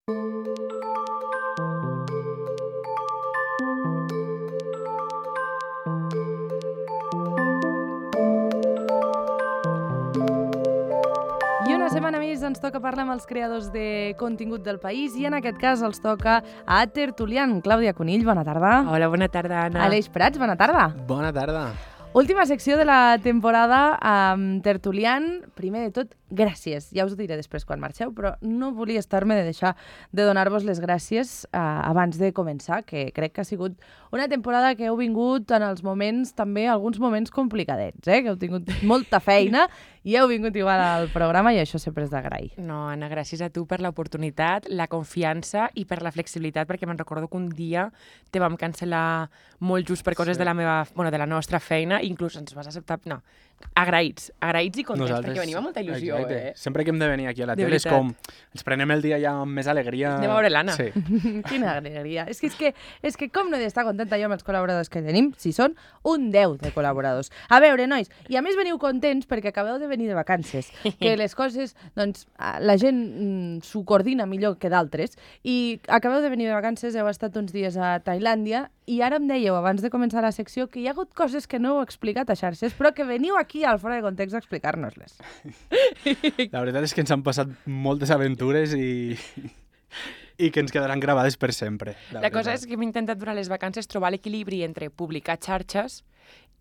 I una setmana més ens toca parlar amb els creadors de contingut del país i en aquest cas els toca a Tertulian. Clàudia Conill, bona tarda. Hola, bona tarda, Anna. Aleix Prats, bona tarda. Bona tarda. Última secció de la temporada amb Tertulian. Primer de tot, gràcies. Ja us ho diré després quan marxeu, però no volia estar-me de deixar de donar-vos les gràcies abans de començar, que crec que ha sigut una temporada que heu vingut en els moments, també alguns moments complicadets, que heu tingut molta feina i heu vingut igual al programa i això sempre és d'agrair. No, Anna, gràcies a tu per l'oportunitat, la confiança i per la flexibilitat, perquè me'n recordo que un dia te vam cancel·lar molt just per coses de la nostra feina, inclús ens vas acceptar... No, agraïts i contents, perquè venia amb molta il·lusió, Exacte. Sempre que hem de venir aquí a la De tele és veritat. com... Ens prenem el dia ja amb més alegria. Anem a veure l'Anna. Sí. Quina alegria. És que com no he d'estar contenta jo amb els col·laboradors que tenim, si són un 10 de col·laboradors. A veure, nois, i a més veniu contents perquè acabeu de venir de vacances, que les coses, doncs, la gent s'ho coordina millor que d'altres, i acabeu de venir de vacances, heu estat uns dies a Tailàndia, i ara em dèieu, abans de començar la secció, que hi ha hagut coses que no heu explicat a xarxes, però que veniu aquí al Fora de Context a explicar-nos-les. La veritat és que ens han passat moltes aventures i que ens quedaran gravades per sempre. La cosa és que hem intentat durant les vacances trobar l'equilibri entre publicar xarxes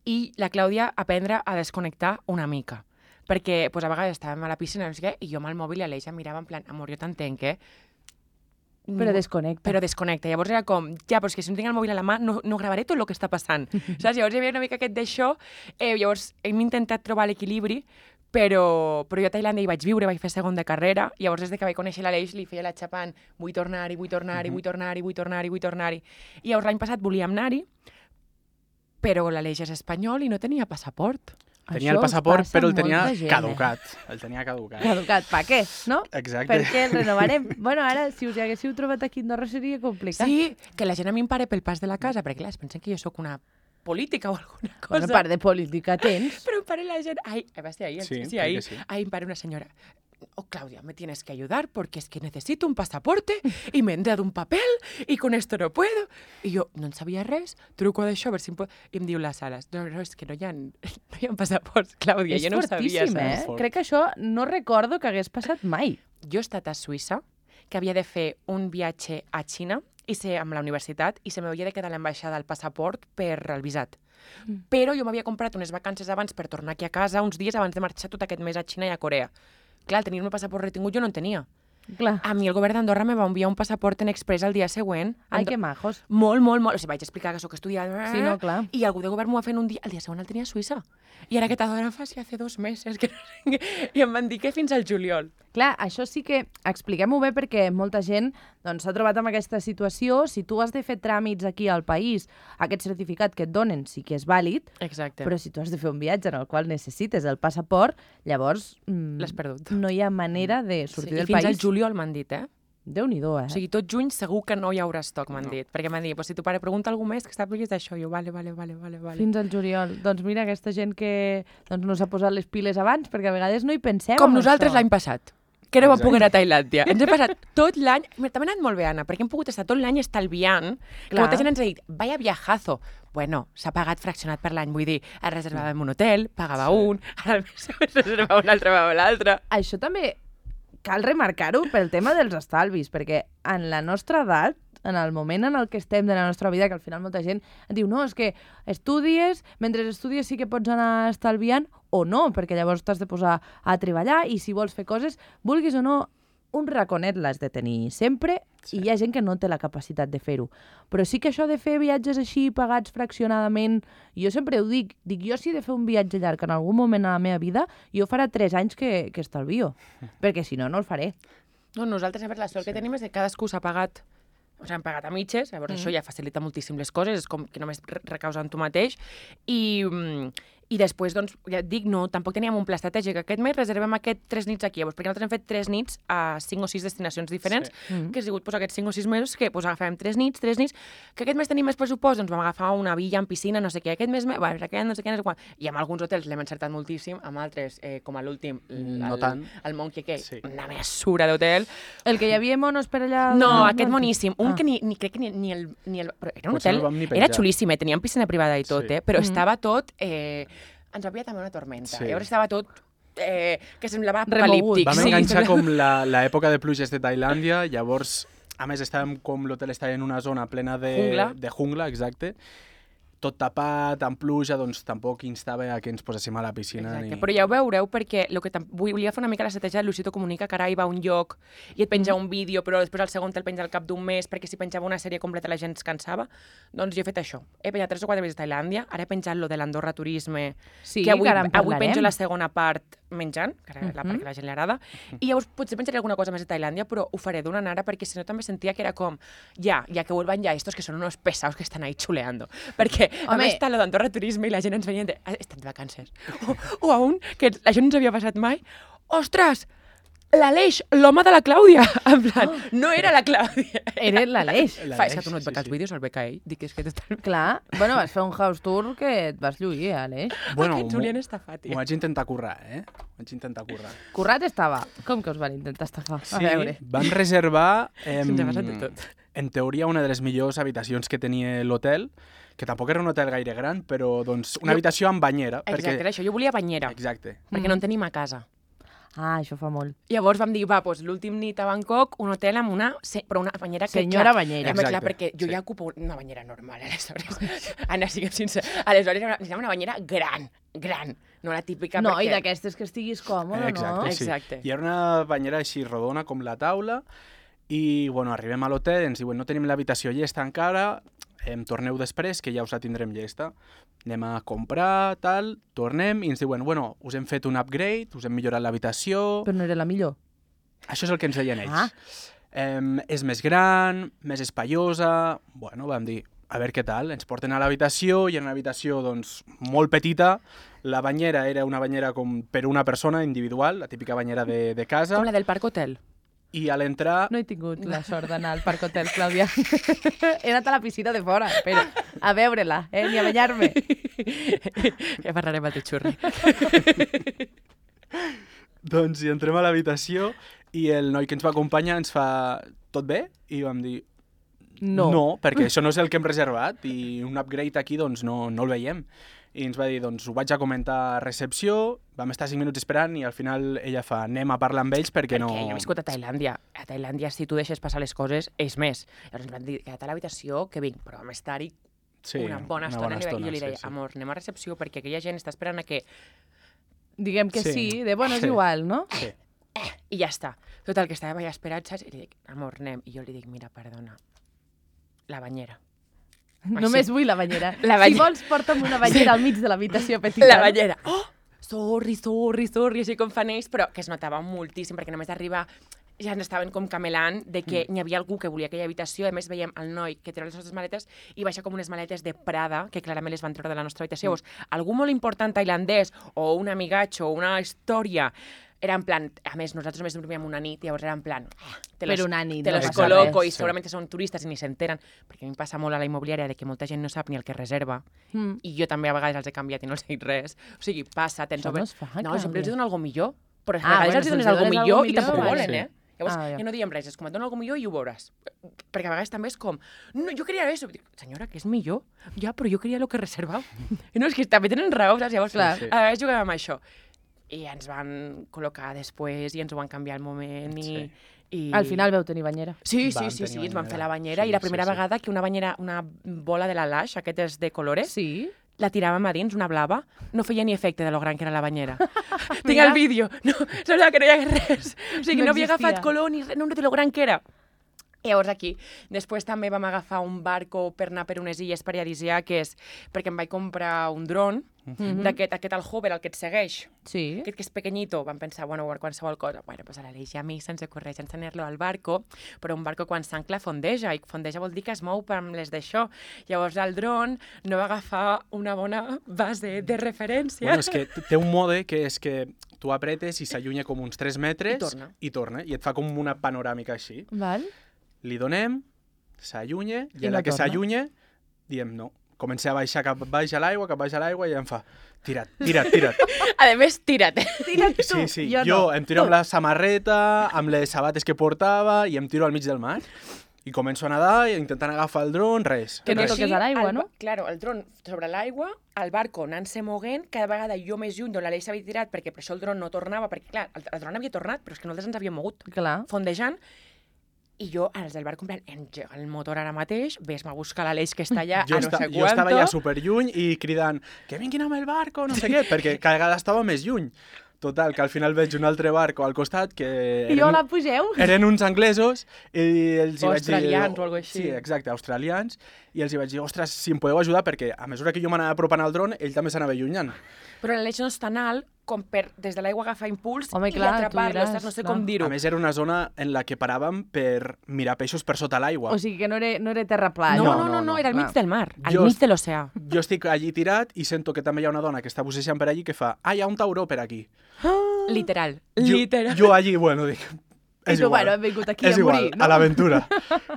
i la Clàudia aprendre a desconnectar una mica. Perquè pues, a vegades estàvem a la piscina no sé què, i jo amb el mòbil i l'Aleix em mirava en plan, amor, jo t'entenc, Però desconnecta. Però desconnecta. Llavors era com, ja, però és que si no tinc el mòbil a la mà no gravaré tot el que està passant. Saps? Llavors hi havia una mica aquest d'això. Llavors hem intentat trobar l'equilibri, però jo a Tailàndia hi vaig viure, vaig fer segon de carrera, i llavors des que vaig conèixer l'Aleix li feia la xapant, vull tornar-hi. I llavors l'any passat volíem anar-hi, però l'Aleix és espanyol i no tenia passaport. Tenia el passaport, però el tenia caducat. El tenia caducat. Caducat, per què? No? Exacte. Perquè el renovarem. Bueno, ara, si us hi haguéssiu trobat aquí a Andorra seria complicat. Sí, que la gent a mi em para pel pas de la casa, perquè clar, es pensen que jo sóc una política o alguna cosa. Bueno, part de política tens. Però em para la gent... Ai, va ser ahir, Sí, ahir. sí. Ai, em para una senyora. Oh, Claudia, me tienes que ayudar porque es que necesito un pasaporte y me han dado un papel y con esto no puedo. I jo no en sabia res, truco d'això, a veure si em pot... I em diu la Sales, no, és que no hi ha passaports, Clàudia, És jo no ho sabia. fortíssim, saps? Crec que això no recordo que hagués passat mai. Jo he estat a Suïssa, que havia de fer un viatge a Xina amb la universitat i se m'havia de quedar a l'ambaixada el passaport per el visat. Però jo m'havia comprat unes vacances abans per tornar aquí a casa, uns dies abans de marxar tot aquest mes a Xina i a Corea. Clar, tenir un passaport retingut jo no en tenia. Clar. A mi el govern d'Andorra me va enviar un passaport en express el dia següent. Ai, que majos. Molt. O sigui, vaig explicar que sóc estudiant. Sí, no, clar. I algú de govern m'ho va fer en un dia. El dia següent el tenia a Suïssa. I ara que t'adora fa si hace 2 meses. Que no sé què. I em van dir que fins al juliol. Clar, això sí que expliquem-ho bé perquè molta gent doncs, s'ha trobat amb aquesta situació. Si tu has de fer tràmits aquí al país, aquest certificat que et donen sí que és vàlid, Exacte. però si tu has de fer un viatge en el qual necessites el passaport, llavors L'has perdut. no hi ha manera de sortir I del fins país. al juliol m'han dit, Déu-n'hi-do, O sigui, tot juny segur que no hi haurà estoc, m'han dit. Perquè m'han dit, si tu pare pregunta algú més que sàpigues d'això. Jo, vale. Fins al juliol. Doncs mira, aquesta gent que no s'ha posat les piles abans, perquè a vegades no hi pensem. Com en nosaltres això. l'any passat, que no vam poder anar a Tailàndia. Ens he passat tot l'any... També ha anat molt bé, Anna, perquè hem pogut estar tot l'any estalviant. Que Clar. molta gent ens ha dit, vaya viajazo. Bueno, s'ha pagat fraccionat per l'any. Vull dir, es reservàvem un hotel, pagava un, ara el mes següent reservava un altre, pagava l'altre. Això també cal remarcar-ho pel tema dels estalvis, perquè en la nostra edat, en el moment en el que estem de la nostra vida, que al final molta gent diu, no, és que estudies, mentre estudies sí que pots anar estalviant, o no, perquè llavors t'has de posar a treballar i si vols fer coses, vulguis o no, un raconet l'has de tenir sempre i hi ha gent que no té la capacitat de fer-ho. Però sí que això de fer viatges així pagats fraccionadament, jo sempre ho dic, jo si he de fer un viatge llarg en algun moment a la meva vida, jo farà 3 anys que estalvio, perquè si no, no el faré. No, nosaltres, a veure, la sort que tenim és que cadascú s'ha pagat han pagat a mitges, llavors això ja facilita moltíssim les coses, és com que només recaus en tu mateix, i I després, doncs, ja et dic, no, tampoc teníem un pla estratègic. Aquest mes reservem 3 nits aquí, perquè nosaltres hem fet 3 nits a 5 o 6 destinacions diferents, que ha sigut aquests 5 o 6 mesos que agafem 3 nits, que aquest mes tenim més pressupost, doncs vam agafar una villa amb piscina, no sé què, aquest mes, no sé què, no sé quan. I amb alguns hotels l'hem encertat moltíssim, amb altres, com a l'últim, el Monkey Cay, una mesura d'hotel. El que hi havia monos per allà... No, aquest moníssim. Un que crec que ni el... Però era un hotel, era xulíssim, teníem piscina privada i tot, però estava tot... ens havia també una tormenta. Llavors estava tot que semblava apocalíptic. Vam enganxar com l'època de pluges de Tailàndia, llavors, a més, estàvem com l'hotel estava en una zona plena de jungla, exacte, tot tapat, amb pluja, doncs tampoc instava a que ens poséssim a la piscina. Exacte, però ja ho veureu perquè volia fer una mica l'estratègia de Luisito Comunica, que ara hi va a un lloc i et penja un vídeo, però després el segon te'l penja al cap d'un mes, perquè si penjava una sèrie completa la gent es cansava. Doncs jo he fet això. He penjat 3 o 4 viatges a Tailàndia, ara he penjat lo de l'Andorra Turisme, que avui penjo la segona part menjant, que era la part que a la gent li agrada, i llavors potser penjaré alguna cosa més de Tailàndia, però ho faré d'una nara, perquè si no també sentia que era com, ja que vuelvan ya estos que són unos pesados que estan ahí chuleando. Perquè a més està lo d'Andorra Turisme i la gent ens venien de... Estan de vacances. O a un que això no ens havia passat mai. Ostres, l'Aleix, l'home de la Clàudia. En plan, no era la Clàudia. Era l'Aleix. És que tu no et veus els vídeos, el beca ell. Dic, és que totalment... Clar, bueno, vas fer un house tour que et vas lluir, Aleix. Bueno, Aquest Julián estafat, ho vaig intentar currar, Vaig intentar currar. Currat estava. Com que us van intentar estafar? Sí, vam reservar, Se'ns ha passat de tot. En teoria, una de les millors habitacions que tenia l'hotel, que tampoc era un hotel gaire gran, però doncs una habitació amb banyera. Exacte, era això, jo volia banyera. Exacte. Perquè no en tenim a casa. Ah, això fa molt. Llavors vam dir, doncs l'últim nit a Bangkok, un hotel amb una banyera que... Senyora banyera. Clar, perquè jo ja ocupo una banyera normal, aleshores. Anna, siguem sincers. Aleshores necessitava una banyera gran, no la típica No, perquè... i d'aquestes que estiguis còmode, no? Exacte. I era una banyera així rodona com la taula, i bueno, arribem a l'hotel, ens diuen no tenim l'habitació llesta encara, torneu després, que ja us la tindrem llesta. Anem a comprar, tal, tornem i ens diuen, bueno, us hem fet un upgrade, us hem millorat l'habitació... Però no era la millor. Això és el que ens deien ells. És més gran, més espaiosa... Bueno, vam dir, a veure què tal. Ens porten a l'habitació, i era una habitació doncs, molt petita. La banyera era una banyera com per una persona individual, la típica banyera de casa. Com la del Parc Hotel. I a l'entrar... No he tingut la sort d'anar al Parc Hotel, Clàudia. He anat a la piscina de fora, però a veure-la, ni a banyar-me. Ja parlarem al teu xurri. Doncs hi entrem a l'habitació i el noi que ens va acompanyar ens fa tot bé? I vam dir no, perquè això no és el que hem reservat i un upgrade aquí doncs no el veiem. I ens va dir, doncs ho vaig a comentar a recepció, vam estar 5 minuts esperant i al final ella fa, anem a parlar amb ells perquè no... Perquè jo he viscut a Tailàndia. A Tailàndia, si tu deixes passar les coses, és més. Llavors ens van dir, queda't a l'habitació, que vinc, però vam estar-hi una bona estona. I jo li deia, amor, anem a recepció perquè aquella gent està esperant a que... Diguem que sí, de bueno, és igual, no? Sí. I ja està. Total, que estava allà esperat, saps? I li dic, amor, anem. I jo li dic, mira, perdona, la banyera. Només vull la banyera. Si vols, porta'm una banyera al mig de l'habitació petita. La banyera. Oh, sorry, així com fan ells, però que es notava moltíssim, perquè només d'arribar ja ens estaven com camelant de que n'hi havia algú que volia aquella habitació. A més, veiem el noi que treu les nostres maletes i baixa com unes maletes de Prada, que clarament les van treure de la nostra habitació. Llavors, algú molt important tailandès o un amigatxo o una història era en plan, a més, nosaltres només dormíem una nit, llavors era en plan, te los col·loco i segurament són turistes i ni s'enteren, perquè a mi em passa molt a la immobiliària de que molta gent no sap ni el que reserva, i jo també a vegades els he canviat i no els he dit res. O sigui, passa, tens... Això no es fa, no, sempre els donen alguna millor, però a vegades els bueno, dones alguna millor i tampoc ho volen, sí. Llavors, ja no diem res, és com et donen alguna millor i ho veuràs. Perquè a vegades també és com, no, jo queria això. Dic, senyora, que és millor? Ja, però jo queria el que reservava. I no, és que també tenen raó, saps? Llavors, a vegades juguem amb això. I ens van col·locar després i ens ho van canviar al moment i... Al final veu tenir banyera. Sí, ens van fer la banyera i la primera vegada que una banyera, una bola de la Lash, aquestes de colores, la tiràvem a dins, una blava, no feia ni efecte de lo gran que era la banyera. Tinc el vídeo, no, semblava que no hi hagués res. O sigui, no havia agafat color ni res, no de lo gran que era. Llavors aquí, després també vam agafar un barco per anar per unes illes paradisíaques perquè em vaig comprar un dron d'aquest el hover, el que et segueix, Sí. aquest que és pequeñito, vam pensar, bueno, qualsevol cosa. Bueno, pues a l'Aleix i a mi se'ns ocorreix ensenyar-lo al barco, però un barco quan s'ancla fondeja, i fondeja vol dir que es mou per amb les d'això. Llavors el dron no va agafar una bona base de referència. Bueno, és que té un mode que és que tu apretes i s'allunya com uns 3 metres i torna, i et fa com una panoràmica així. Val. Li donem, s'allunya, i a no la que torna. s'allunya, diem no. Comença a baixar cap baix a l'aigua, i em fa tira't. A més, tira't. Tira't tu, Sí, jo jo no. em tiro amb la samarreta, amb les sabates que portava, i em tiro al mig del mar. I començo a nedar, intentant agafar el dron, res. Que no res. toques a l'aigua, no? Claro, el dron sobre l'aigua, el barco anant-se moguent, cada vegada jo més lluny d'on l'Aleix s'havia tirat, perquè per això el dron no tornava, perquè clar, el dron havia tornat, però és que nosaltres ens havíem mogut, Clar. fondejant, i jo, als del barco, en plan, engega el motor ara mateix, ves-me a buscar l'Aleix que està allà Jo, a no sé jo estava quanto. ja superlluny i cridant que vinguin amb el barco, no sé què, perquè cada vegada estava més lluny. Total, que al final veig un altre barco al costat que... I hola, pugeu. Eren uns anglesos i els hi O vaig dir... australians o alguna cosa així. Sí, exacte, australians. I els hi vaig dir, ostres, si em podeu ajudar, perquè a mesura que jo m'anava apropant al dron, ell també s'anava allunyant. Però l'Aleix no és tan alt com per des de l'aigua agafar impuls Home, i clar, tu atrapar-lo, diràs, saps? No sé clar. com dir-ho. A més, era una zona en la que paràvem per mirar peixos per sota l'aigua. O sigui que no era terra plana. No, era al mig Clar. del mar, al Jo- mig de l'oceà. Jo estic allí tirat i sento que també hi ha una dona que està bussejant per allí que fa hi ha un tauró per aquí. Literal. Jo allí, bueno, dic... I És tu, igual, bueno, hem vingut aquí és a igual, morir, no? a l'aventura.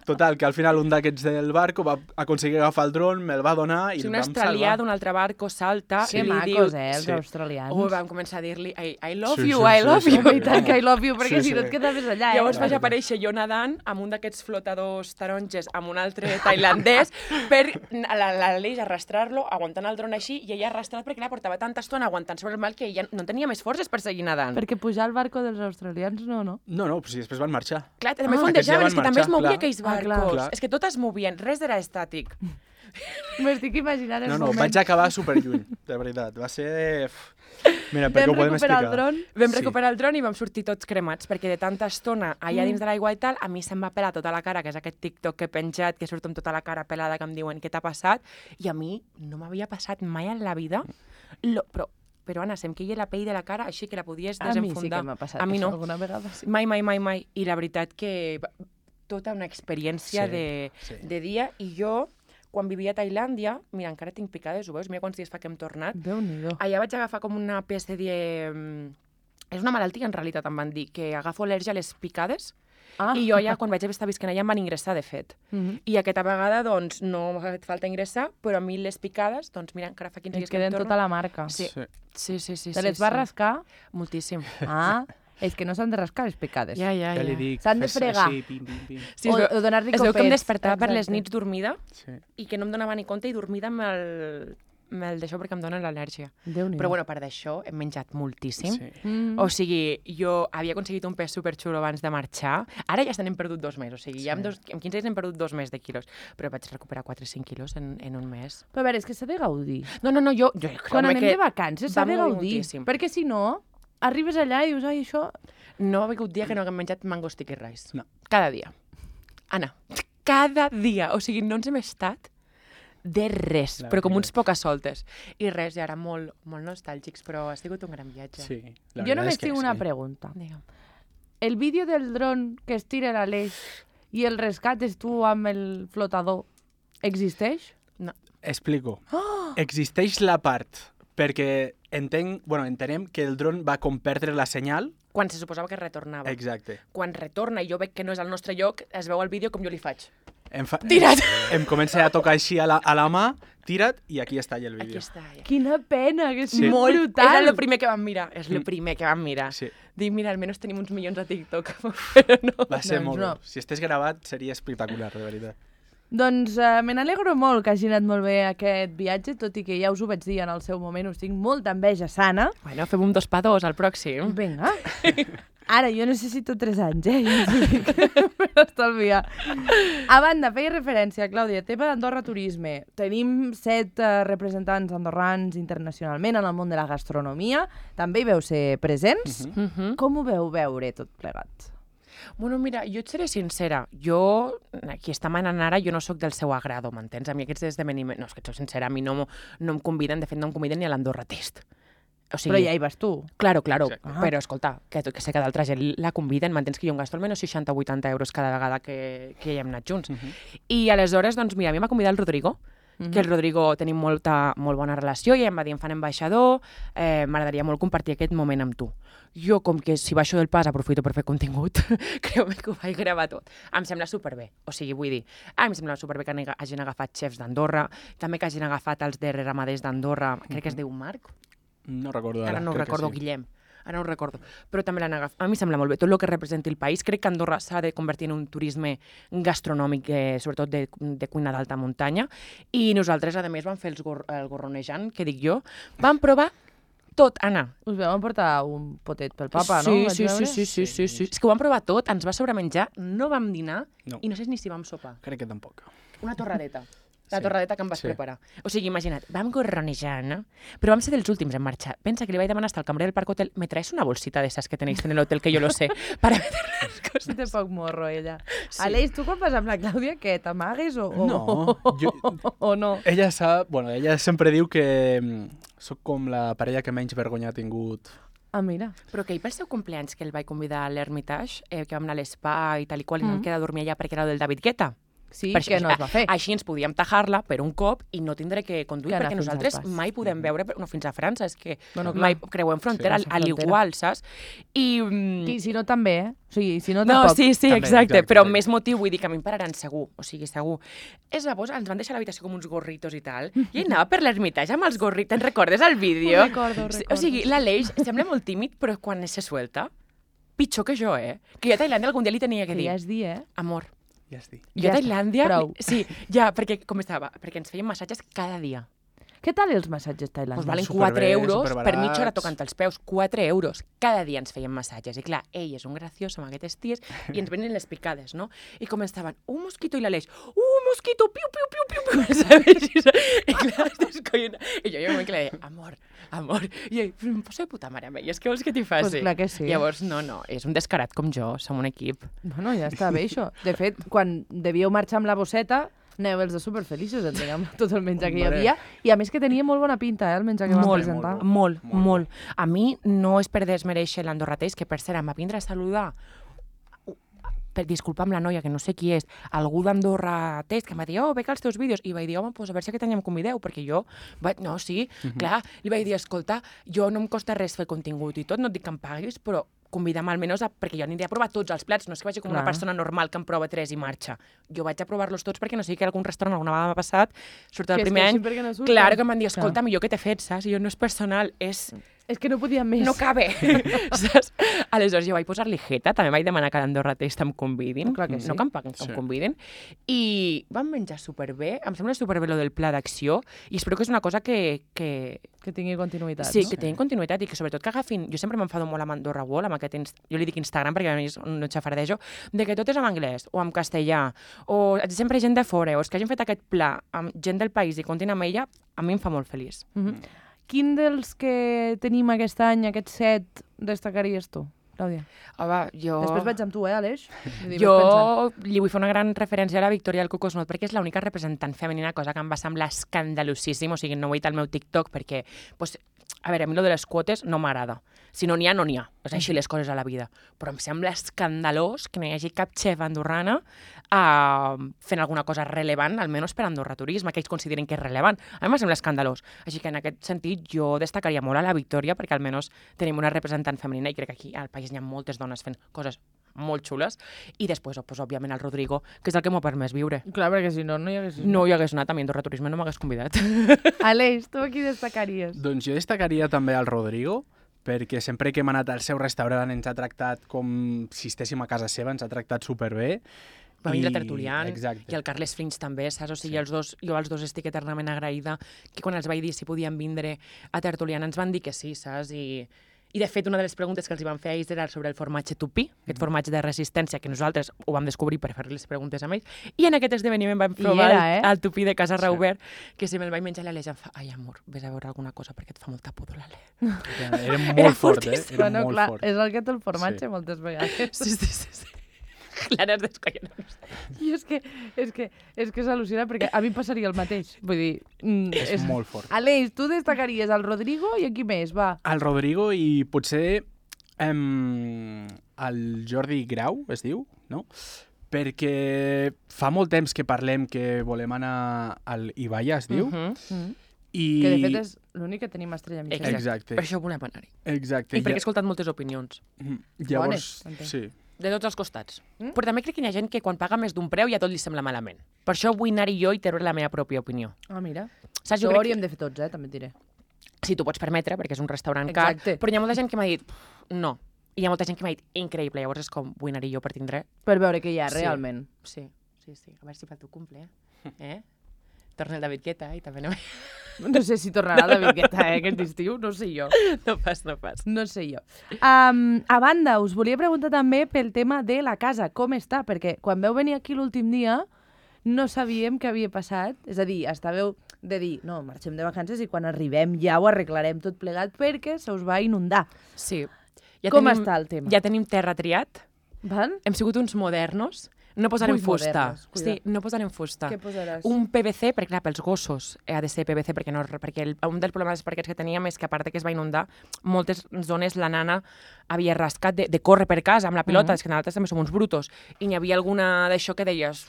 Total, que al final un d'aquests del barco va aconseguir agafar el dron, me'l va donar i Si el un vam australià salvar. d'un altre barco salta Que i li macos, diu... els Sí. australians. Vam començar a dir-li I love Sí, you, sí, I sí, love sí. you. Home, i tant que I love you, perquè Sí, si no sí. et quedaves allà, Llavors vaig Clar. aparèixer jo nedant amb un d'aquests flotadors taronges amb un altre tailandès per l'Aleix arrastrar-lo, aguantant el dron així, i ella arrastrat perquè la portava tanta estona aguantant sobre el mal que ella no tenia més forces per seguir nedant. Perquè pujar al barco dels australians, no. No, però si després van marxar. Clar, també aquests ja fondejaven, van és que també es marxar, movia clar. aquells Ah, clar. barcos. Clar. És que tot es movien, res era estàtic. M'estic imaginant el No, moment. vaig acabar superlluny, de veritat. Va ser... Mira, perquè Vam ho podem recuperar explicar. el dron. Vam Sí. recuperar el dron i vam sortir tots cremats, perquè de tanta estona allà dins de l'aigua i tal, a mi se'm va pelar tota la cara, que és aquest TikTok que he penjat, que surto amb tota la cara pelada, que em diuen què t'ha passat, i a mi no m'havia passat mai en la vida, però Anna, se'm queia la pell de la cara així que la podies A mi desenfundar. sí que m'ha passat A mi això no. alguna vegada. Sí. Mai. I la veritat que tota una experiència Sí. de dia, i jo, quan vivia a Tailàndia, mira, encara tinc picades, ho veus? Mira quants dies fa que hem tornat. Déu-n'hi-do. Allà vaig agafar com una espècie de... És una malaltia, en realitat, em van dir, que agafo al·lèrgia a les picades, Ah. i jo allà, quan vaig estar visquent allà, em van ingressar, de fet. I aquesta vegada, doncs, no m'ha fet falta ingressar, però a mi les picades, doncs mira, encara fa 15 Et dies que em queden torno. tota la marca. Sí. Sí. Te les vas rascar? Moltíssim. Ah, és que no s'han de rascar les picades. Ja. Ja li dic, S'han de fes fregar. així, pim, pim, pim. Sí, o donar-li es veu que em copets. despertava per les Exacte. nits dormida Sí. i que no em donava ni compte i dormida amb el d'això perquè em dona l'al·lèrgia. Déu-n'hi-do. Però bueno, a part d'això, hem menjat moltíssim. Sí. O sigui, jo havia aconseguit un pes superxulo abans de marxar. Ara ja se n'hem perdut 2 mesos. O sigui, ja en 15 dies hem perdut 2 més de quilos. Però vaig recuperar 4 o 5 quilos en un mes. Però a veure, és que s'ha de gaudir. No, jo Quan anem que de vacances s'ha vam de gaudir gaudir. moltíssim. Perquè si no, arribes allà i dius, ai, això... No ha vingut dia que no haguem menjat mango sticky rice. No. Cada dia. Anna, cada dia. O sigui, no ens hem estat de res, La però com veritat. uns poques soltes. I res, i ara molt nostàlgics, però ha sigut un gran viatge. Sí, la Jo veritat només és que tinc una sí. pregunta. Digue'm. El vídeo del dron que es tira a l'eix i el rescates tu amb el flotador existeix? No. Explico. Existeix la part, perquè entenem que el dron va com perdre la senyal. Quan se suposava que retornava. Exacte. Quan retorna i jo veig que no és al nostre lloc, es veu al vídeo com jo li faig. Tira't! Em comença a tocar així a la mà, tira't, i aquí està ja el Aquí vídeo. està. Ja. Quina pena, que és Sí. molt brutal. És el primer que vam mirar. És el primer que vam mirar. Sí. Dic, mira, almenys tenim uns milions a TikTok. Però no. Va ser Doncs molt no. bo. Si estigués gravat seria espectacular, de veritat. Doncs me n'alegro molt que hagi anat molt bé aquest viatge, tot i que ja us ho vaig dir en el seu moment, us tinc molta enveja sana. Bueno, fem un 2x2 al pròxim. Vinga. Ara, jo necessito 3 anys, ja us ho dic, per estalviar. A banda, feia referència, Clàudia, tema d'Andorra Turisme. Tenim 7 representants andorrans internacionalment en el món de la gastronomia. També hi veu ser presents. Com ho veu veure tot plegat? Bueno, mira, jo et seré sincera. Jo, aquí està manant ara, jo no sóc del seu agrado, m'entens? A mi aquests esdeveniments... No, és que et soc sincera, a mi no em conviden, de fet no em conviden ni a l'Andorra Test. O sigui, Però ja hi vas tu. Claro, Exacte. però escolta, que sé que d'altra gent la conviden, m'entens que jo em gasto almenys 60 o 80 euros cada vegada que hi hem anat junts. I aleshores, doncs mira, a mi m'ha convidat el Rodrigo, que el Rodrigo tenim molt bona relació i em va dir, em fan ambaixador, m'agradaria molt compartir aquest moment amb tu. Jo, com que si baixo del pas aprofito per fer contingut, creu-me que ho vaig gravar tot. Em sembla superbé, o sigui, vull dir, em sembla superbé que hagin agafat xefs d'Andorra, també que hagin agafat els de ramaders d'Andorra, crec que es diu Marc, No recordo ara. ara no ho crec que recordo, sí. Guillem, ara no ho recordo, però també l'han agafat. A mi sembla molt bé, tot el que representi el país. Crec que Andorra s'ha de convertir en un turisme gastronòmic, sobretot de cuina d'alta muntanya, i nosaltres, a més, vam fer el gorronejant, que dic jo, vam provar tot, Anna. Us vam emportar un potet pel papa, no? Sí, Vaig sí, veure? sí. És que ho vam provar tot, ens va sobremenjar, no vam dinar, No. i no sé ni si vam sopar. Crec que tampoc. Una torradeta. La Sí. torradeta que em vas Sí. preparar. O sigui, imagina't, vam gorronejar, no? Però vam ser dels últims en marxar. Pensa que li vaig demanar hasta el cambrer del Parc Hotel, ¿me traes una bolsita de esas que tenéis en el hotel, que yo lo sé, para meter las cosas? Té poc morro, ella. Sí. Aleix, tu quan vas amb la Clàudia, què, t'amagues o No, o no? Ella sap... Bueno, ella sempre diu que sóc com la parella que menys vergonya ha tingut. Ah, mira. Però que ell pel seu compleanys, que el vaig convidar a l'Hermitage, que vam anar a l'espa i tal i qual, i vam quedar a dormir allà perquè era del David Guetta. Sí, Per que no es va fer. Així ens podíem tajar-la per un cop i no tindré que conduir, Que anar perquè fins al nosaltres pas. mai podem veure, no, fins a França, és que Bueno, clar. mai creuem frontera, Sí, a frontera. l'igual, saps? I... I si no, també, eh? O sigui, si no, No, tampoc. sí, També, exacte, exacte, però exacte. més motiu, vull dir que a mi em pararan segur, o sigui, segur. És llavors, ens van deixar a l'habitació com uns gorritos i tal, i ell anava per l'Hermitage amb els gorritos, te'n recordes el vídeo? Ho recordo. O sigui, l'Aleix sembla molt tímid, però quan se suelta, pitjor que jo, Que jo a Tailàndia algun dia li tenia que Que dir, ja és dir, amor, Ja estic. jo a Ja està, Tailàndia... prou. Sí, ja, perquè, com estava? Perquè ens feien massatges cada dia. Què tal els massatges Doncs tailandesos? valen superbé, 4 euros per superbarats. mitja hora tocant els peus. 4 euros. Cada dia ens feien massatges. I clar, ell és un graciós amb aquestes ties i ens venen les picades, no? I començaven, un mosquito i l'Aleix, mosquito, piu, piu, piu, piu, piu, ¿sabes? I clar, es descollona. I jo hi ha un moment que li deia, amor. I ell, em poso de puta mare amb ell, és que vols que t'hi faci? Pues clar que sí. Llavors, no, és un descarat com jo, som un equip. Bueno, ja està bé, això. De fet, quan devíeu marxar amb la bosseta, aneu els de superfeliços, entenc, amb tot el menjar que hi Hombre. havia. I a més que tenia molt bona pinta, el menjar que vam presentar. Molt. A mi no és per desmereixer l'Andorra Test, que per cert em va vindre a saludar disculpa amb la noia, que no sé qui és, algú d'Andorra Test, que em va dir, veig els teus vídeos, i vaig dir, home, pues a veure si aquest any em convideu, perquè jo, no, sí, clar, li vaig dir, escolta, jo no em costa res fer contingut i tot, no et dic que em paguis, però convida'm almenys, perquè jo aniré a provar tots els plats, no és que vagi com una Clar. persona normal que en prova 3 i marxa. Jo vaig a provar-los tots perquè no sigui que algun restaurant alguna vegada m'ha passat, sobretot Que el es primer any, queixin perquè no surten. clar, que em van dir, Clar. escolta, millor que t'he fet, saps? I jo, no és personal, És que no podia més. no cabe, saps? Aleshores jo vaig posar-li jeta, també vaig demanar que a l'Andorra Test em convidin, Clar que sí. no que em paguin, que em convidin, i vam menjar superbé, em sembla superbé lo del pla d'acció, i espero que és una cosa que Que tingui continuïtat, sí, no? que tinguin continuïtat i que sobretot que agafin... Jo sempre m'enfado molt amb Andorra World, amb aquest... Jo li dic Instagram perquè a mi no xafardejo, de que tot és en anglès o en castellà, o sempre gent de fora, o és que hagin fet aquest pla amb gent del país i comptin amb ella, a mi em fa molt feliç. Quin dels que tenim aquest any, aquests 7, destacaries tu, Clàudia? Home, jo... Després vaig amb tu, Aleix? Vull dir, vaig pensant. Jo li vull fer una gran referència a la Victoria del Cocosnot perquè és l'única representant femenina, cosa que em va semblar escandalosíssim, o sigui, no ho he dit al meu TikTok perquè, pues, a veure, a mi lo de les quotes no m'agrada. Si no n'hi ha, no n'hi ha. És així les coses a la vida. Però em sembla escandalós que no hi hagi cap xef andorrana fent alguna cosa rellevant, almenys per Andorra Turisme, que ells consideren que és rellevant. A mi em sembla escandalós. Així que en aquest sentit jo destacaria molt a la Victòria perquè almenys tenim una representant femenina i crec que aquí al país hi ha moltes dones fent coses molt xules. I després, pues, òbviament, el Rodrigo, que és el que m'ha permès viure. Clar, perquè si no, no hi hagués... No hi hagués anat, a mi Andorra Turisme no m'hagués convidat. Aleix, tu aquí destacaries? Doncs jo destacaria també el Rodrigo, perquè sempre que hem anat al seu restaurant ens ha tractat com si estéssim a casa seva, ens ha tractat superbé. Va vindre Tertulian Exacte. i el Carles Frins també, saps? O sigui, jo als dos estic eternament agraïda que quan els vaig dir si podien vindre a Tertulian ens van dir que sí, saps? I de fet, una de les preguntes que els van fer a ells era sobre el formatge tupí, aquest formatge de resistència, que nosaltres ho vam descobrir per fer les preguntes a ells, i en aquest esdeveniment vam provar el tupí de Casa Raubert, que si me'l vaig menjar l'Aleix em fa, ai, amor, vés a veure alguna cosa perquè et fa molta pudor l'Aleix. Era molt fort, fortíssim. Era Bueno, molt clar, fort. és el que té el formatge moltes vegades. Sí. L'Anna es descollona. I és que és al·lucina perquè a mi em passaria el mateix. Vull dir... És molt fort. Aleix, tu destacaries el Rodrigo i a qui més, va? El Rodrigo i potser el Jordi Grau, es diu, no? Perquè fa molt temps que parlem que volem anar al Ibaia, es diu. I... Que de fet és l'únic que tenim a Estrella Mitjana. Exacte. Per això volem anar-hi. Exacte. I perquè he escoltat moltes opinions. Llavors, Bones, sí. De tots els costats. Però també crec que hi ha gent que quan paga més d'un preu ja tot li sembla malament. Per això vull anar-hi jo i treure la meva pròpia opinió. Ah, mira. Saps? Això Jo ho crec hauríem de fer tots, també et diré. si t'ho pots permetre, perquè és un restaurant car, Exacte. però hi ha molta gent que m'ha dit no. I hi ha molta gent que m'ha dit increïble. Llavors és com, vull anar-hi jo per tindre... Per veure què hi ha Sí. realment. Sí. A veure si fa el teu cumple, Torna el David Guetta i també anem... No sé si tornarà David Guetta, aquest estiu, no sé jo. No pas. No sé jo. A banda, us volia preguntar també pel tema de la casa, com està? Perquè quan veu venir aquí l'últim dia no sabíem què havia passat. És a dir, estàveu de dir, no, marxem de vacances i quan arribem ja ho arreglarem tot plegat perquè se us va inundar. Sí. Com està el tema? Ja tenim terra triat. Val? Hem sigut uns modernos. No posarem Ui, fusta. modernos, cuida. Sí, no posarem fusta. Què posaràs? Un PVC, perquè clar, pels gossos ha de ser PVC, perquè un dels problemes dels parquets que teníem és que a part de que es va inundar, moltes zones la nana havia rascat de córrer per casa amb la pilota, és que nosaltres també som uns brutos, i n'hi havia alguna d'això que deies...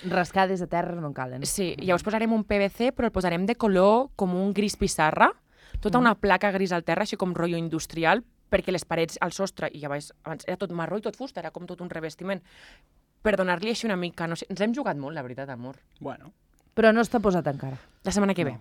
Rascades de terra no en calen. Sí, llavors posarem un PVC, però el posarem de color com un gris pissarra, tota una placa gris al terra, així com rotllo industrial, perquè les parets, al sostre, i abans era tot marró i tot fusta, era com tot un revestiment. Per donar-li així una mica, no sé, ens hem jugat molt, la veritat, amor. Bueno. Però no està posat encara. La setmana que ve.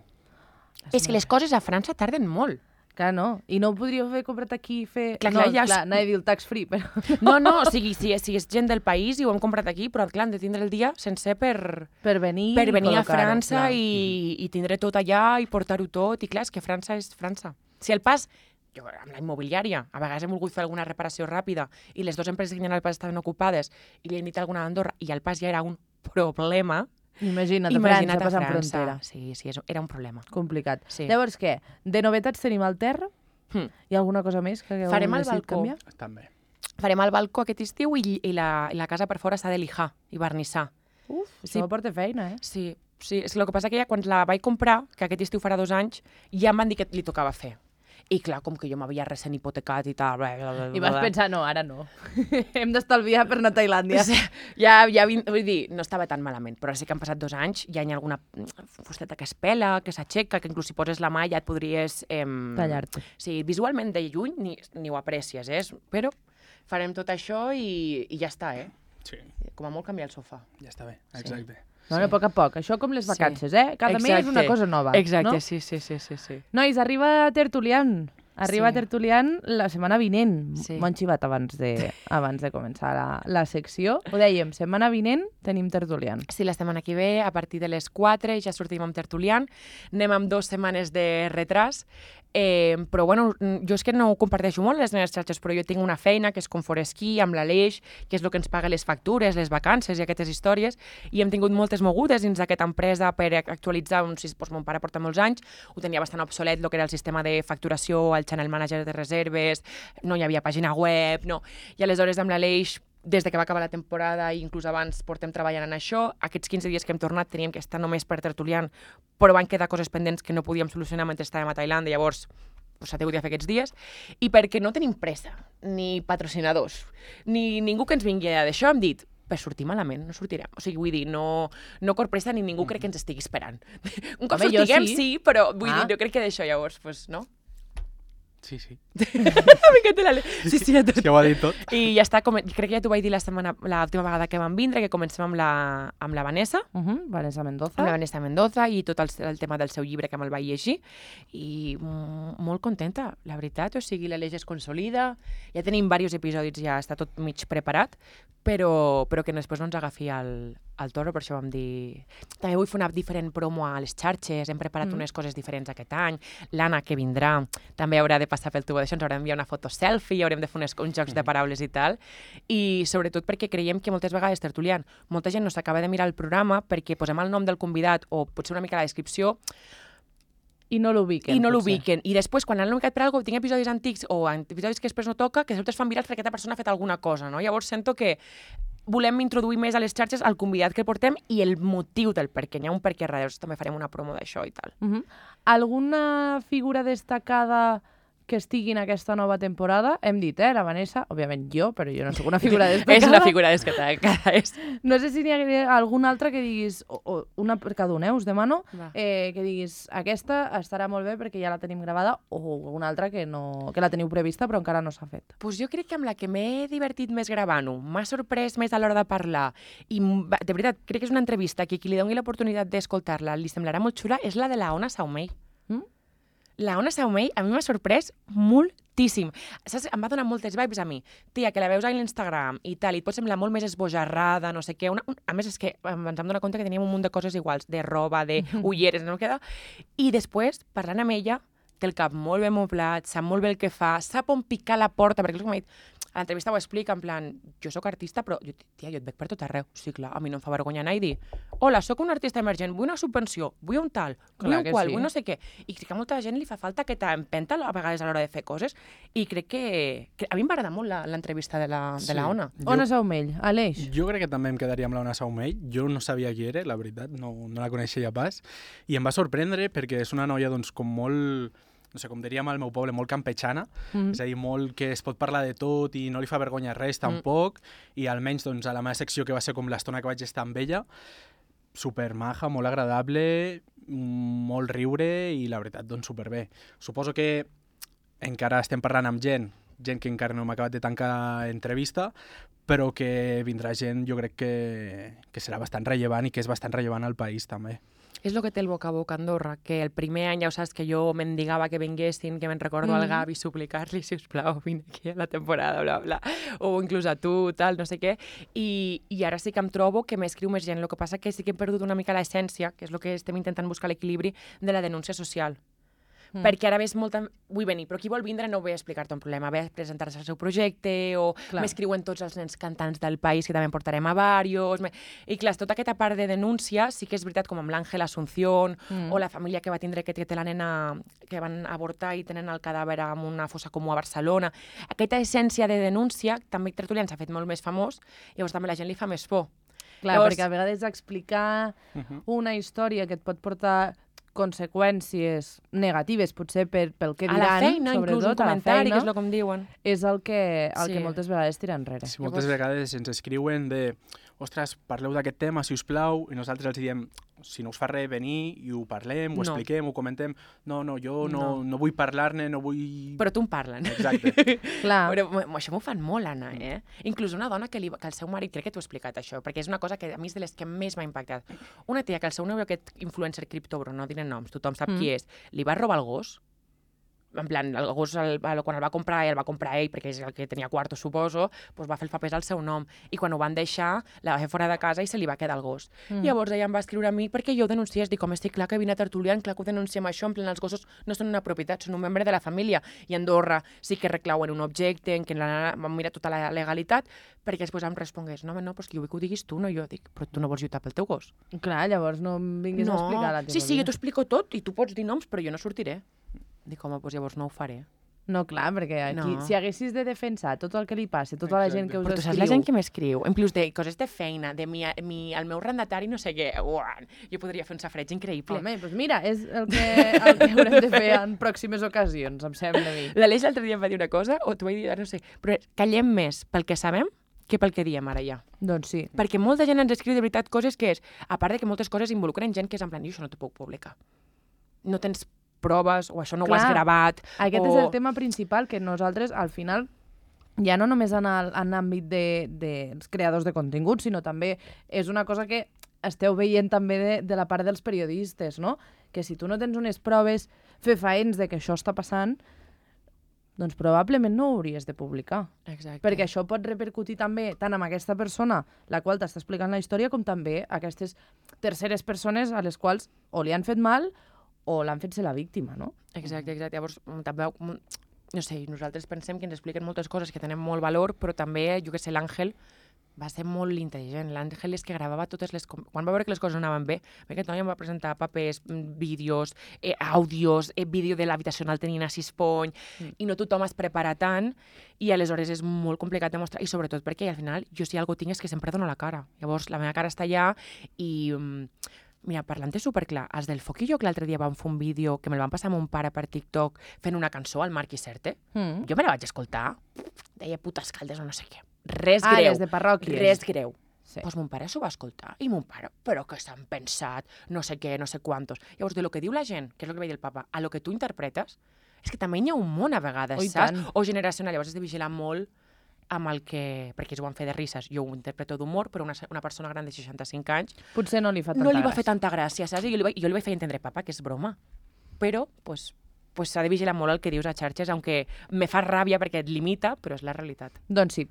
És que les coses a França tarden molt. Clar, no. I no ho podríeu haver comprat aquí i fer... Clar, no, ja clar, anava a dir el tax free, però... No, o sigui, si és gent del país i ho hem comprat aquí, però clar, hem de tindre el dia sencer per venir a col·locar-ho, França clar. i tindre tot allà i portar-ho tot. I clar, és que França és França. Si el pas... Jo, amb la immobiliària, a vegades hem volgut fer alguna reparació ràpida i les dues empreses que hi ha al pas estaven ocupades i li hem dit alguna d'Andorra i el pas ja era un problema. Imagina't a França, passant França. frontera. Sí, era un problema. Complicat. Sí. Llavors, què? De novetats tenim el terra? Hm. Hi ha alguna cosa més que hagueu Farem el decidit balcó. canviar? També. Farem el balcó aquest estiu i la casa per fora s'ha de lijar i vernissar. Uf, Sí. això porta feina, Sí, és que el que passa que ja quan la vaig comprar, que aquest estiu farà 2 anys, ja em van dir que li tocava fer. I clar, com que jo m'havia recent hipotecat i tal... I vas pensar, no, ara no. Hem d'estalviar per anar a Tailàndia. Sí, vull dir, no estava tan malament, però sí que han passat 2 anys, ja hi ha alguna fusteta que es pela, que s'aixeca, que inclús si poses la mà ja et podries... Tallar-te. Sí, visualment de lluny ni ho aprecies, però farem tot això i ja està, Sí, Com a molt canviar el sofà. ja està bé, exacte. Bueno, a poc a poc. Això com les Sí. vacances, Cada mes una cosa nova. Exacte, no? sí. Nois, arriba Tertulian. Arriba Sí. Tertulian la setmana vinent. Sí. M'ho han xivat abans de començar la secció. Ho dèiem, setmana vinent tenim Tertulian. Sí, la setmana que ve, a partir de les 4, ja sortim amb Tertulian. Anem amb 2 setmanes de retras. Però, bueno, jo és que no ho comparteixo molt a les meves xarxes, però jo tinc una feina que és com Foresquí, amb l'Aleix, que és el que ens paga les factures, les vacances i aquestes històries, i hem tingut moltes mogudes dins d'aquesta empresa per actualitzar, doncs, mon pare porta molts anys, ho tenia bastant obsolet, el que era el sistema de facturació, el channel manager de reserves, no hi havia pàgina web, no. I aleshores amb l'Aleix, des de que va acabar la temporada i inclús abans portem treballant en això. Aquests 15 dies que hem tornat teníem que estar només per Tertulian, però van quedar coses pendents que no podíem solucionar mentre estàvem a Tailàndia, llavors s'ha hagut de fer aquests dies, i perquè no tenim pressa, ni patrocinadors, ni ningú que ens vingui d'això, hem dit, per sortir malament, no sortirem. O sigui, vull dir, no cor pressa ni ningú crec que ens estigui esperant. Un cop Home, jo sortiguem, sí. sí, però vull dir, jo crec que d'això llavors, pues, no? Sí, sí. M'encanta sí, a tot. Ja ho ha dit tot. I ja està, crec que ja t'ho vaig dir l'última vegada que vam vindre, que comencem amb la Vanessa, Vanessa Mendoza. amb la Vanessa Mendoza i tot el tema del seu llibre que me'l vaig llegir i molt contenta, la veritat, o sigui, l'Aleix es consolida, ja tenim diversos episodis, ja està tot mig preparat, però que després no ens agafi el toro, per això vam dir... També vull fer una diferent promo a les xarxes, hem preparat unes coses diferents aquest any, l'Anna, que vindrà, també haurà de passar pel tubo d'això, ens haurà d'enviar una foto selfie, haurem de fer uns jocs de paraules i tal, i sobretot perquè creiem que moltes vegades, Tertulian, molta gent no s'acaba de mirar el programa perquè posem el nom del convidat o potser una mica la descripció I no l'ubiquen. I després, quan han ubicat per alguna cosa, tinc episodis antics o episodis que després no toca, que després fan virals perquè aquesta persona ha fet alguna cosa, no? Llavors sento que volem introduir més a les xarxes el convidat que portem i el motiu del perquè. N'hi ha un perquè darrere, també farem una promo d'això i tal. Alguna figura destacada que estigui en aquesta nova temporada? Hem dit, la Vanessa, òbviament jo, però jo no soc una figura destacada. És una figura destacada. No sé si n'hi ha alguna altra que diguis, o una per cada un, us demano, que diguis, aquesta estarà molt bé perquè ja la tenim gravada, o una altra que la teniu prevista però encara no s'ha fet. Pues jo crec que amb la que m'he divertit més gravant-ho, m'ha sorprès més a l'hora de parlar, i de veritat, crec que és una entrevista que qui li doni l'oportunitat d'escoltar-la li semblarà molt xula, és la de la Ona Saumell. La Ona Saumell a mi m'ha sorprès moltíssim. Saps? Em va donar moltes vibes a mi. Tia, que la veus a l'Instagram i tal, i et pot semblar molt més esbojarrada, no sé què. A més, és que ens vam donar compte que teníem un munt de coses iguals, de roba, de ulleres, no queda? I després, parlant amb ella, té el cap molt ben moblat, sap molt bé el que fa, sap on picar la porta, perquè és com m'ha dit, a l'entrevista ho explica, en plan, jo sóc artista, però, tia, jo et veig per tot arreu. Sí, clar, a mi no em fa vergonya anar i dir, hola, sóc un artista emergent, vull una subvenció, vull un tal, vull un qual, vull no sé què. I crec que a molta gent li fa falta aquesta empenta a vegades a l'hora de fer coses, i crec que a mi em va agradar molt l'entrevista de la Ona. Ona Saumell, Aleix. Jo crec que també em quedaria amb la Ona Saumell. Jo no sabia qui era, la veritat, no la coneixia pas, i em va sorprendre perquè és una noia, doncs, com molt... no sé, com diríem al meu poble, molt campechana, és a dir, molt que es pot parlar de tot i no li fa vergonya res tampoc, i almenys doncs, a la meva secció, que va ser com l'estona que vaig estar amb ella, supermaja, molt agradable, molt riure i la veritat, doncs superbé. Suposo que encara estem parlant amb gent que encara no m'ha acabat de tancar entrevista, però que vindrà gent, jo crec que serà bastant rellevant i que és bastant rellevant al país també. És el que té el boca a boca a Andorra, que el primer any ja ho saps que jo mendigava que vinguessin, que me'n recordo al Gavi suplicar-li, sisplau, vine aquí a la temporada, bla, bla, o inclús a tu, tal, no sé què, i ara sí que em trobo que m'escriu més gent. El que passa que sí que he perdut una mica l'essència, que és el que estem intentant buscar l'equilibri, de la denúncia social. Perquè ara ves molta... Vull venir, però qui vol vindre no ve a explicar-te un problema, ve a presentar-se al seu projecte, o m'escriuen tots els nens cantants del país, que també en portarem a varios... I clar, tota aquesta part de denúncia sí que és veritat, com amb l'Àngel Asunción, o la família que va tindre que té la nena que van avortar i tenen el cadàver en una fossa comú a Barcelona. Aquesta essència de denúncia, també Tertulians s'ha fet molt més famós, llavors també la gent li fa més por. Clar, llavors... perquè a vegades explicar una història que et pot portar conseqüències negatives, potser pel que diran, a la feina, inclús un comentari, que és el que em diuen. És el que moltes vegades tira enrere. Sí, moltes vegades ens escriuen de ostres, parleu d'aquest tema, si us plau, i nosaltres els diem, si no us fa res, venir i ho parlem, ho expliquem, ho comentem. No, jo no vull parlar-ne, no vull... Però tu en parlen. Exacte. Clar. Però això m'ho fan molt, Anna, Inclús una dona que el seu marit, crec que t'ho he explicat això, perquè és una cosa que a mi és de les que més m'ha impactat. Una tia que el seu nòvio, aquest influencer criptobro, no diré noms, tothom sap qui és, li va robar el gos. En plan, el gos, quan el va comprar ell, perquè és el que tenia quarto, suposo, doncs va fer el papers al seu nom. I quan ho van deixar, la va fer fora de casa i se li va quedar el gos. Llavors ella em va escriure a mi perquè jo ho denunciés. Dic, home, estic clar que vine a Tertulian, clar que ho denunciem això, en plan, els gossos no són una propietat, són un membre de la família. I a Andorra sí que reclauen un objecte, en què vam mirar tota la legalitat, perquè després em respongués, no, però és que jo vull que ho diguis tu, no jo. Dic, però tu no vols lluitar pel teu gos. Clar, llavors no em vinguis a explicar la teva vida. Sí, jo t'ho explico tot i tu pots dir noms, però jo no sortiré. Dic, home, doncs llavors no ho faré. No, clar, perquè aquí, si haguessis de defensar tot el que li passa, tota la gent que us escriu... Però tu saps la gent que m'escriu, en plus de coses de feina, de el meu arrendatari, no sé què, jo podria fer un safreig increïble. Home, doncs mira, és el que haurem de fer en pròximes ocasions, em sembla a mi. L'Aleix l'altre dia em va dir una cosa, o t'ho vaig dir, no sé, però callem més pel que sabem que pel que diem ara ja. Doncs sí. Perquè molta gent ens escriu de veritat coses que és, a part de que moltes coses involucren gent que és en plan, jo això no t'ho puc publicar. No tens proves, o això no ho has gravat. Aquest és el tema principal, que nosaltres, al final, ja no només en l'àmbit dels creadors de contingut, sinó també és una cosa que esteu veient també de la part dels periodistes, no? Que si tu no tens unes proves fefaents de que això està passant, doncs probablement no ho hauries de publicar. Exacte. Perquè això pot repercutir també tant amb aquesta persona, la qual t'està explicant la història, com també aquestes terceres persones a les quals o li han fet mal o l'han fet ser la víctima, no? Exacte. Llavors, també, no sé, nosaltres pensem que ens expliquen moltes coses que tenen molt valor, però també, jo que sé, l'Àngel va ser molt intel·ligent. L'Àngel és que gravava totes les... Quan va veure que les coses no anaven bé, aquest noi em va presentar papers, vídeos, àudios, vídeo de l'habitació on el tenien a Sispony, i no tothom es prepara tant, i aleshores és molt complicat de mostrar, i sobretot perquè al final jo si alguna cosa tinc és que sempre dono la cara. Llavors la meva cara està allà i... Mira, parlant-te superclar, els del Foc i jo que l'altre dia vam fer un vídeo que me'l van passar amb mon pare per TikTok fent una cançó al Marc Iserte, jo me la vaig escoltar, deia putes caldes o no sé què. Res greu. les de parròquies. Res greu. Sí. Pues mon pare s'ho va escoltar i mon pare, però que s'han pensat, no sé què, no sé quantos. Llavors, de lo que diu la gent, que és el que va dir el papa, a lo que tu interpretes, és que també hi ha un món a vegades, saps? Tant. O generacional, llavors has de vigilar molt amb el que... Perquè ells ho van fer de risses, jo ho interpreto d'humor, però una persona gran de 65 anys Potser no li fa tanta no li va gràcia. fer tanta gràcia, saps? I jo li vaig fer entendre, papa, que és broma. Però, pues s'ha de vigilar molt el que dius a xarxes, aunque me fa ràbia perquè et limita, però és la realitat. Doncs sí.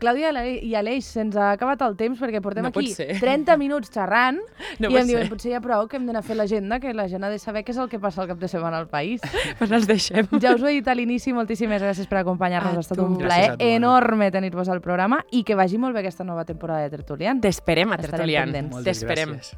Clàudia i Aleix, se'ns ha acabat el temps perquè portem No pot aquí ser. 30 minuts xerrant No i pot em diuen, ser. potser ja prou que hem d'anar a fer l'agenda, que la gent ha de saber què és el que passa el cap de setmana al país. Pues els deixem. Ja us ho he dit a l'inici, moltíssimes gràcies per acompanyar-nos. A Ha estat tu. un Gràcies plaer a tu, Anna. enorme tenir-vos al programa i que vagi molt bé aquesta nova temporada de Tertulian. T'esperem a Estarem Tertulian. pendents. Moltes T'esperem. gràcies.